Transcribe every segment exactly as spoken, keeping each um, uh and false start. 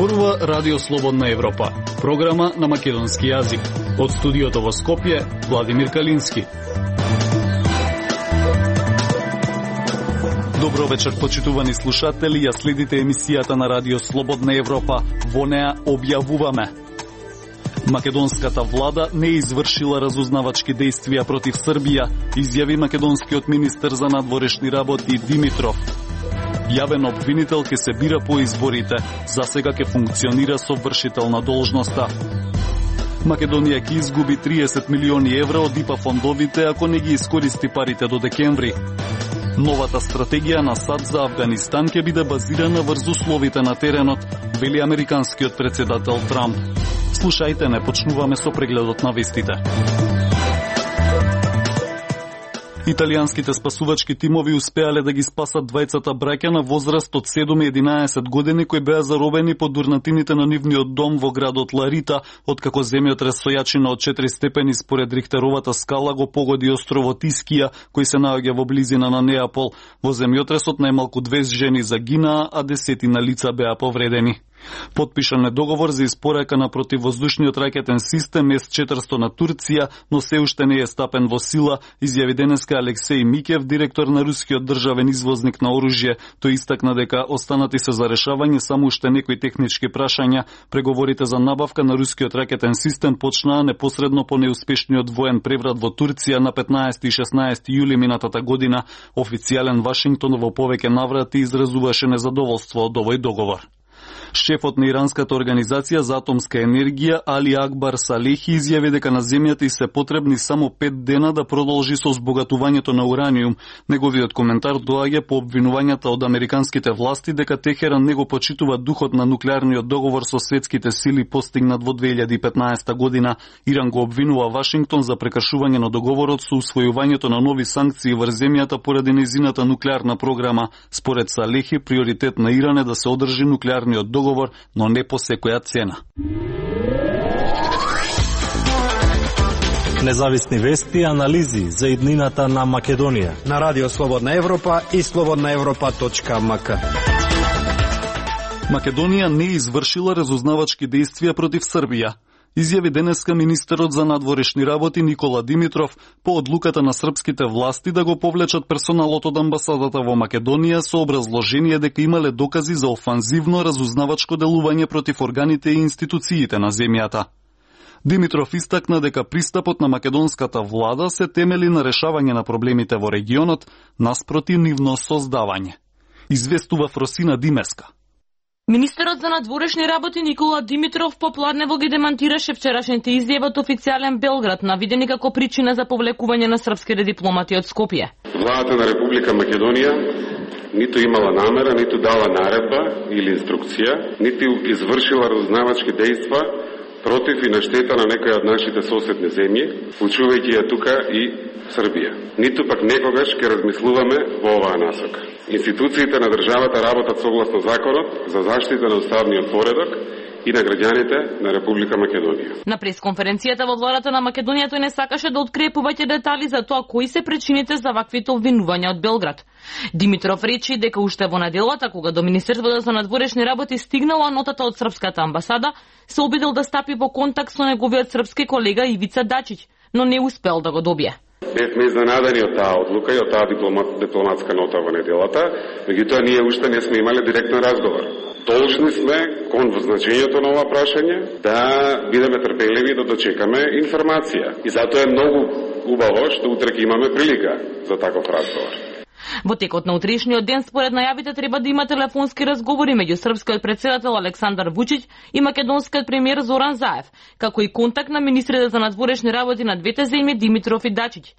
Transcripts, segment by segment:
Зборува Радио Слободна Европа, програма на македонски јазик. Од студиото во Скопје, Владимир Калински. Добро вечер, почитувани слушатели, ја следите емисијата на Радио Слободна Европа. Во неа објавуваме: македонската влада не извршила разузнавачки действија против Србија, изјави македонскиот министер за надворешни работи Димитров. Јавен обвинител ке се бира по изборите, за сега ке функционира со вршител на должноста. Македонија ќе изгуби триесет милиони евра од ИПА фондовите ако не ги искористи парите до декември. Новата стратегија на САД за Авганистан ќе биде базирана врз условите на теренот, вели американскиот претседател Трамп. Слушајте, не почнуваме со прегледот на вестите. Италијанските спасувачки тимови успеале да ги спасат двајцата браќа на возраст од седум и единаесет години кои беа заробени под дурнатините на нивниот дом во градот Ларита, откако земјотрес со јачина од четири степени според Рихтеровата скала го погоди островот Искија, кој се наоѓа во близина на Неапол. Во земјотресот најмалку дваесет жени загинаа, а десетина лица беа повредени. Потпишан е договор за испорака на противвоздушниот ракетен систем С четиристо на Турција, но се уште не е стапен во сила, изјави денеска Алексеј Микев, директор на рускиот државен извозник на оружје. Тој истакна дека останати се за решавање само уште некои технички прашања. Преговорите за набавка на рускиот ракетен систем почнаа непосредно по неуспешниот воен преврат во Турција на петнаесети и шеснаесети јули минатата година. Официјален Вашингтон во повеќе наврати изразуваше незадоволство од овој договор. Шефот на иранската организација за атомска енергија Али Акбар Салехи изјави дека на земјата и се потребни само пет дена да продолжи со збогатувањето на ураниум. Неговиот коментар доаѓа по обвинувањата од американските власти дека Техеран не го почитува духот на нуклеарниот договор со светските сили постигнат во две илјади и петнаесета година. Иран го обвинува Вашингтон за прекршување на договорот со усвојувањето на нови санкции врз земјата поради нејзината нуклеарна програма. Според Салехи, приоритет на Иран е да се одржи нуклеарниот договор, но не по секоја цена. Независни вести и анализи за иднината на Македонија на Радио Слободна Европа и слободна европа точка ем ка. Македонија не извршила разузнавачки действија против Србија, изјави денеска министерот за надворешни работи Никола Димитров по одлуката на српските власти да го повлечат персоналот од амбасадата во Македонија со образложение дека имале докази за офанзивно разузнавачко делување против органите и институциите на земјата. Димитров истакна дека пристапот на македонската влада се темели на решавање на проблемите во регионот наспроти нивно создавање. Известува Фросина Димеска. Министерот за надворешни работи Никола Димитров попладнево ги демантираше вчерашните изјави од официјален Белград, навидени како причина за повлекување на српските дипломати од Скопје. Владата на Република Македонија ниту имала намера, ниту дала наредба или инструкција, ниту извршила разузнавачки дејства против и на штета на некоја од нашите соседни земји, вклучувајќи ја тука и Србија. Ниту пак некогаш ќе размислуваме во оваа насока. Институциите на државата работат согласно законот за заштита на уставниот поредок и на граѓаните на Република Македонија. На пресконференцијата во владата на Македонија тој не сакаше да открие повеќе детали за тоа кои се причините за ваквите обвинувања од Белград. Димитров речи дека уште во неделата, кога до Министерството за надворешни работи стигнала нотата од српската амбасада, се обидел да стапи во контакт со неговиот српски колега Ивица Дачиќ, но не успел да го добие. Бевме изненадани од таа одлука и од таа дипломат, дипломатска нота во неделата, меѓутоа ние уште не сме имале директен разговор. Должни сме, кон значењето на ова прашање, да бидеме трпеливи да дочекаме информација. И затоа е многу убаво што утре ќе имаме прилика за таков разговор. Во текот на утрешниот ден, според најавите, треба да има телефонски разговори меѓу српскиот претседател Александар Вучиќ и македонскиот премиер Зоран Заев, како и контакт на министрите за надворешни работи на двете земји Димитров и Дачиќ.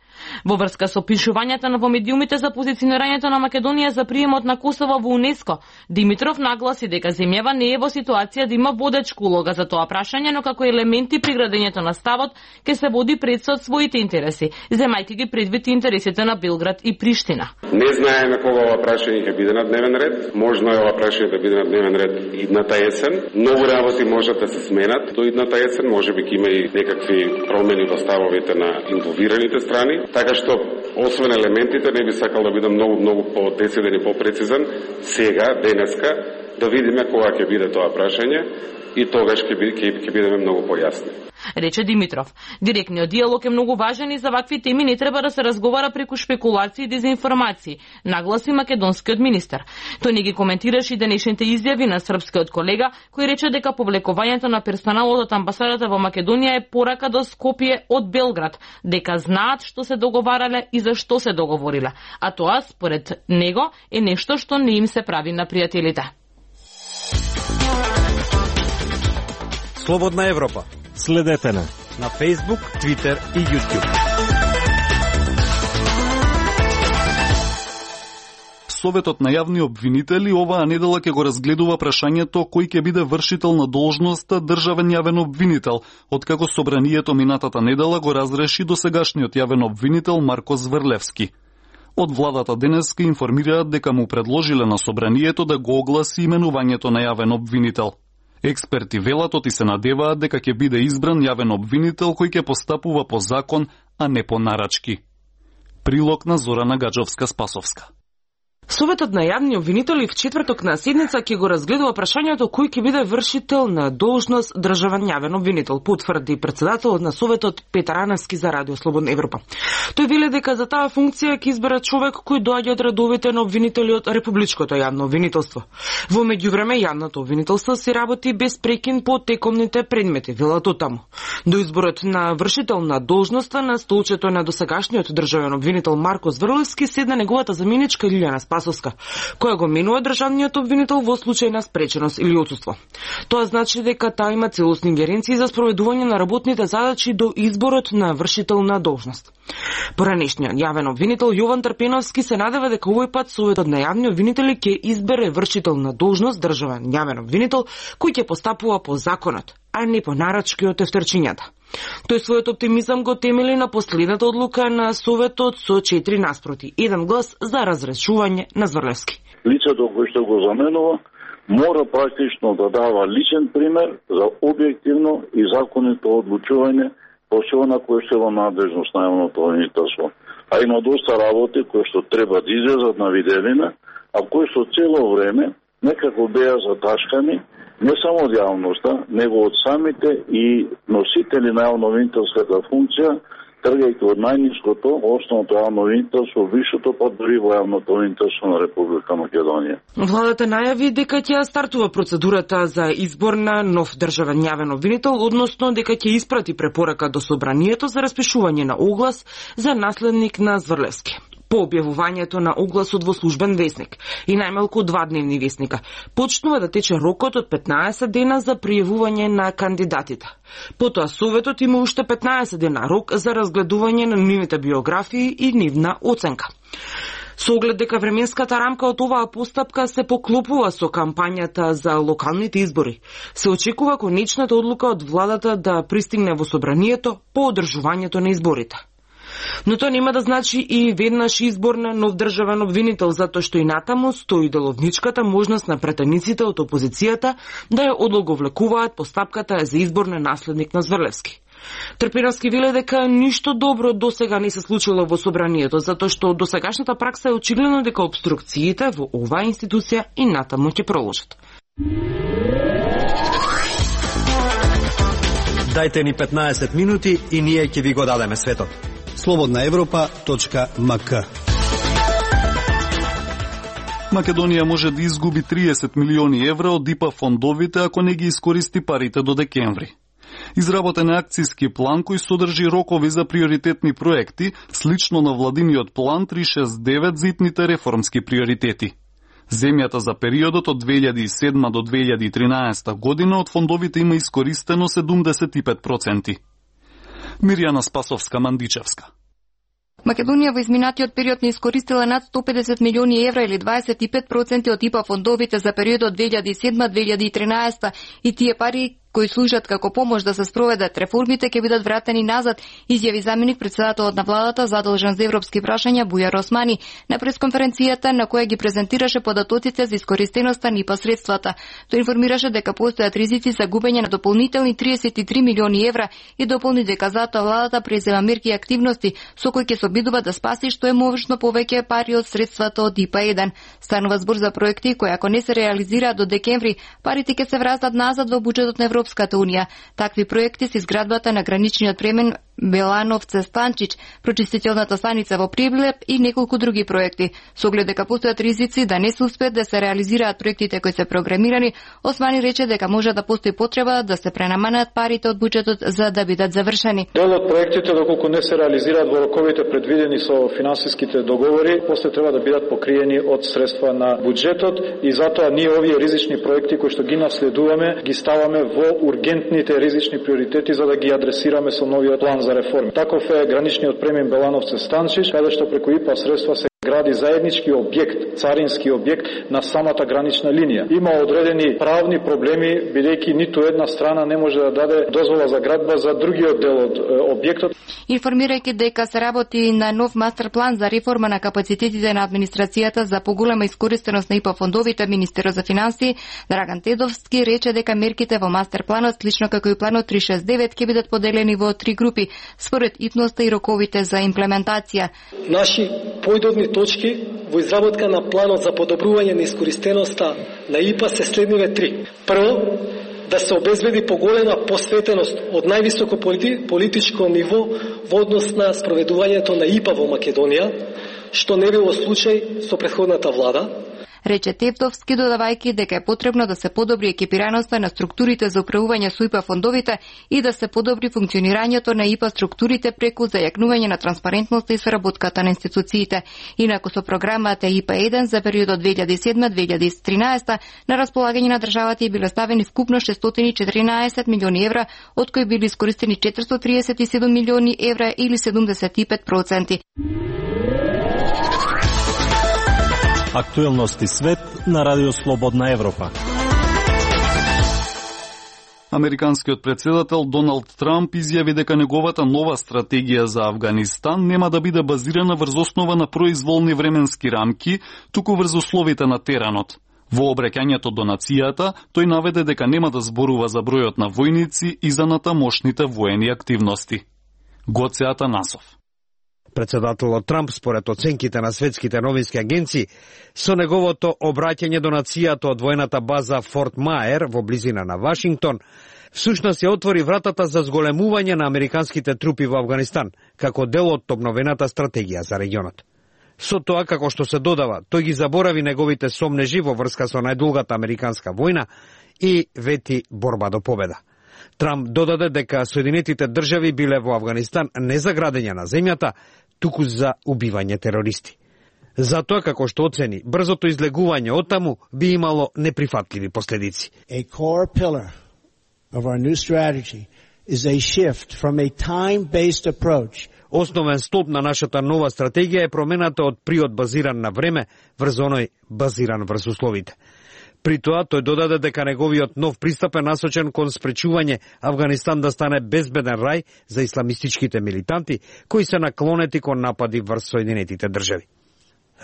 Во врска со пишувањата на во медиумите за позиционирањето на Македонија за приемот на Косово во УНЕСКО, Димитров нагласи дека земјава не е во ситуација да има водечка улога за тоа прашање, но како елементи при градењето на ставот ќе се води пред со своите интереси, земајќи ги предвид интересите на Белград и Приштина. Не знаеме кога ова прашање ќе биде на дневен ред. Можно е ова прашање да биде на дневен ред идната есен. Многу работи можат да се сменат до идната есен, можеби ќе има и некакви промени во ставовите на инволвираните страни. Така што, освен елементите, не би сакал да бидам многу, многу по-дециден и по-прецизен, сега, денеска, да видиме кога ќе биде тоа прашање и тогаш ќе ќе ќе бидеме многу појасни. Рече Димитров. Директниот диалог е многу важен и за вакви теми не треба да се разговара преку шпекулации и дезинформации, нагласи македонскиот министер. Тој не ги коментираше и денешните изјави на српскиот колега, кој рече дека повлекувањето на персоналот од амбасадата во Македонија е порака до Скопје од Белград, дека знаат што се договарале и за што се договориле. А тоа, според него, е нешто што не им се прави на пријателите. Слободна Европа. Следете на на Facebook, Twitter и YouTube. Советот на јавни обвинители оваа недела ќе го разгледува прашањето кој ќе биде вршител на должноста државен јавен обвинител, откако собранието минатата недела го разреши досегашниот јавен обвинител Марко Зврлевски. Од владата денеска информираат дека му предложиле на собранието да го огласи именувањето на јавен обвинител. Експерти велат и се надеваат дека ќе биде избран јавен обвинител кој ќе постапува по закон, а не по нарачки. Прилог на Зорана Гаджовска-Спасовска. Советот на јавни обвинители в четврток на седница ќе го разгледува прашањето кој ќе биде вршител на должност државен јавен обвинител, потврди председателот на Советот Петар Аневски за Радио Слободна Европа. Тој веле дека за таа функција ќе избере човек кој доаѓа од редовите на обвинители од Републичкото јавно обвинителство. Во меѓувреме јавното обвинителство се работи без прекин по текомните предмети, велат таму. До изборот на вршител на должноста на столчето на досегашниот државен обвинител Марко Зврлевски седна неговата заменичка Лилјана Спасовска, која го менува државниот обвинител во случај на спреченост или отсуство. Тоа значи дека таа има целосни ингеренции за спроведување на работните задачи до изборот на вршител на должност. Поранешниот јавен обвинител Јован Трпеновски се надева дека овој пат Советот на јавни обвинители ќе избере вршител на должност државен јавен обвинител кој ќе постапува по законот, а не по нарачки од тефтерчињата. Тој својот оптимизам го темели на последната одлука на Советот со четири наспроти, еден глас за разрешување на Зврлевски. Лицето кој што го заменува мора практично да дава личен пример за објективно и законито одлучување по она кој што е во надлежност на јавното обвинителство. А има доста работи кои што треба да излезат на виделина, а кои што цело време некако беа заташкани не само од јавноста, него од самите и носители на јавно-обвинителската функција, тргајќи од најниското, основното јавно-обвинителство, висшото, па дури во јавното обвинителство на Република Македонија. Владата најави дека ќе стартува процедурата за избор на нов државен јавен обвинител, односно дека ќе испрати препорака до собранието за распишување на оглас за наследник на Зврлевски. По објавувањето на огласот во службен весник и најмалку два дневни весника, почнува да тече рокот од петнаесет дена за пријавување на кандидатите. Потоа Советот има уште петнаесет дена рок за разгледување на нивните биографии и нивна оценка. Со оглед дека временската рамка од оваа постапка се поклопува со кампањата за локалните избори, се очекува конечната одлука од владата да пристигне во собранието по одржувањето на изборите. Но тоа нема да значи и веднаш избор на нов државен обвинител, затоа што и натаму стои деловничката можност на претениците од опозицијата да ја одлоговлекуваат постапката за избор на наследник на Зврлевски. Трпеновски веле дека ништо добро досега не се случило во собранието, затоа што досегашната пракса е очигледно дека обструкциите во оваа институција и натаму ќе продолжат. Дајте ни петнаесет минути и ние ќе ви го дадеме светот. слободна европа точка ем ка. Македонија може да изгуби триесет милиони евра од ИПА фондовите ако не ги искористи парите до декември. Изработен е акцијски план кој содржи рокови за приоритетни проекти, слично на владиниот план триста шесдесет и девет за итните реформски приоритети. Земјата за периодот од две илјади и седма до две илјади и тринаесета година од фондовите има искористено седумдесет и пет проценти. Мирјана Спасовска-Мандичевска. Македонија во изминатиот период не искористила над сто педесет милиони евра или дваесет и пет проценти од ИПА фондовите за периодот две илјади и седма до две илјади и тринаесета и тие пари кои служат како помош да се спроведат реформите ќе бидат вратени назад, изјави заменик претседателот на владата задолжен за европски прашања Бујар Османи на пресконференцијата на која ги презентираше податоците за искористеноста на ИПА средствата. Тој информираше дека постојат ризици за губење на дополнителни триесет и три милиони евра и дополни дека затоа владата презема мерки и активности со кои ќе се обидува да спаси што е можно повеќе пари од средствата од ИПА еден. Станува збор за проекти кои ако не се реализираат до декември, парите ќе се вратат назад во буџетот на Европската унија. Такви проекти се изградбата на граничниот премен Белановце-Станчич, прочистителната станица во Приблеп и неколку други проекти. Со оглед дека постојат ризици да не се успеат да се реализираат проектите кои се програмирани, Османи рече дека може да постои потреба да се пренаманат парите од буџетот за да бидат завршени. Дел од проектите доколку не се реализираат во роковите предвидени со финансиските договори, после треба да бидат покриени од средства на буџетот и затоа ние овие ризични проекти кои што ги наследуваме, ги ставаме во ургентните ризични приоритети за да ги адресираме со новиот план за реформи. Таков е граничниот премин Белановце-Станчич, каде што преку ИПА средства се гради заеднички објект, царински објект на самата гранична линија. Има одредени правни проблеми, бидејќи ниту една страна не може да даде дозвола за градба за другиот дел од објектот. Информирајќи дека се работи на нов мастер план за реформа на капацитетите на администрацијата за поголема искористеност на ИПА фондовите, министерот за финансии Драган Тедовски рече дека мерките во мастер планот, слично како и планот триста и шесет девет, ќе бидат поделени во три групи според итноста и роковите за имплементација. Наши поидобни точки во изработка на планот за подобрување на искористеноста на ИПА се следниве три. Прво, да се обезбеди поголема посветеност од највисоко политичко ниво во однос на спроведувањето на ИПА во Македонија, што не било случај со претходната влада. Рече Тевтовски, додавајќи дека е потребно да се подобри екипираноста на структурите за управување со ИПА фондовите и да се подобри функционирањето на ИПА структурите преку зајакнување на транспарентноста и соработката на институциите. Инаку со програмата ИПА еден за периодот две илјади и седма до две илјади и тринаесета на располагање на државата и биле ставени вкупно шестстотини и четиринаесет милиони евра, од кои били искористени четиристотини триесет и седум милиони евра или седумдесет и пет проценти. Актуелности свет на Радио Слободна Европа. Американскиот претседател Доналд Трамп изјави дека неговата нова стратегија за Авганистан нема да биде базирана врз основа на произволни временски рамки, туку врз условите на теренот. Во обраќањето до нацијата, тој наведе дека нема да зборува за бројот на војници и за натамошните воени активности. Гоце Атанасов. Претседателот Трамп, според оценките на светските новински агенции, со неговото обраќање до нацијата од воената база Форт Маер во близина на Вашингтон, всушност ја отвори вратата за зголемување на американските трупи во Авганистан, како дел од обновената стратегија за регионот. Со тоа, како што се додава, тој ги заборави неговите сомнежи во врска со најдолгата американска војна и вети борба до победа. Трамп додаде дека Соединетите држави биле во Авганистан не за градење на земјата, туку за убивање терористи. Затоа, како што оцени, брзото излегување од таму би имало неприфатливи последици. A core pillar of our new strategy is a shift from a time-based approach. Основен столб на нашата нова стратегија е промената од приод базиран на време врз оној базиран врз условите. При тоа, тој додаде дека неговиот нов пристап е насочен кон спречување Авганистан да стане безбеден рај за исламистичките милитанти, кои се наклонети кон напади врз Соединетите држави.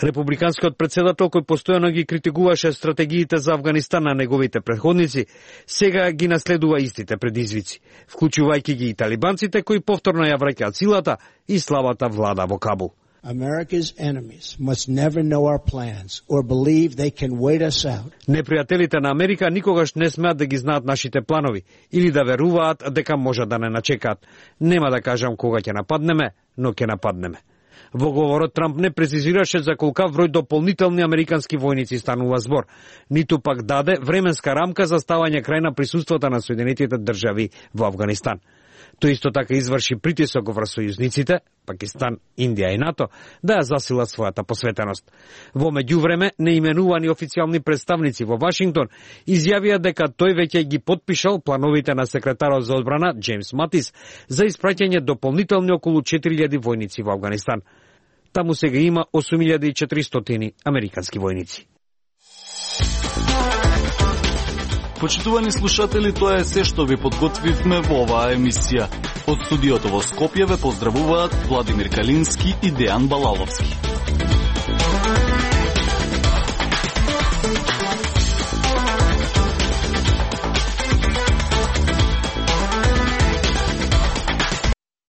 Републиканскиот претседател, кој постојано ги критикуваше стратегиите за Авганистан на неговите претходници, сега ги наследува истите предизвици, вклучувајќи ги и талибанците, кои повторно ја враќаат силата и слабата влада во Кабул. America's enemies must never know our plans or believe they can wait us out. Непријателите на Америка никогаш не смеат да ги знаат нашите планови или да веруваат дека може да не начекаат. Нема да кажам кога ќе нападнеме, но ќе нападнеме. Во говорот Трамп не презизираше за колкав број дополнителни американски војници станува збор, ниту пак даде временска рамка за ставање крај на присуството на Соединетите држави во Авганистан. Тој исто така изврши притисок врз сојузниците, Пакистан, Индија и НАТО, да ја засила својата посветеност. Во меѓувреме, неименувани официјални представници во Вашингтон изјавија дека тој веќе ги потпишал плановите на секретарот за одбрана Джеймс Матис за испраќање дополнителни околу четири илјади војници во Авганистан. Таму сега има осум илјади и четиристотини американски војници. Почитувани слушатели, тоа е се што ви подготвивме во оваа емисија. Од студиото во Скопје ве поздравуваат Владимир Калински и Дејан Балаловски.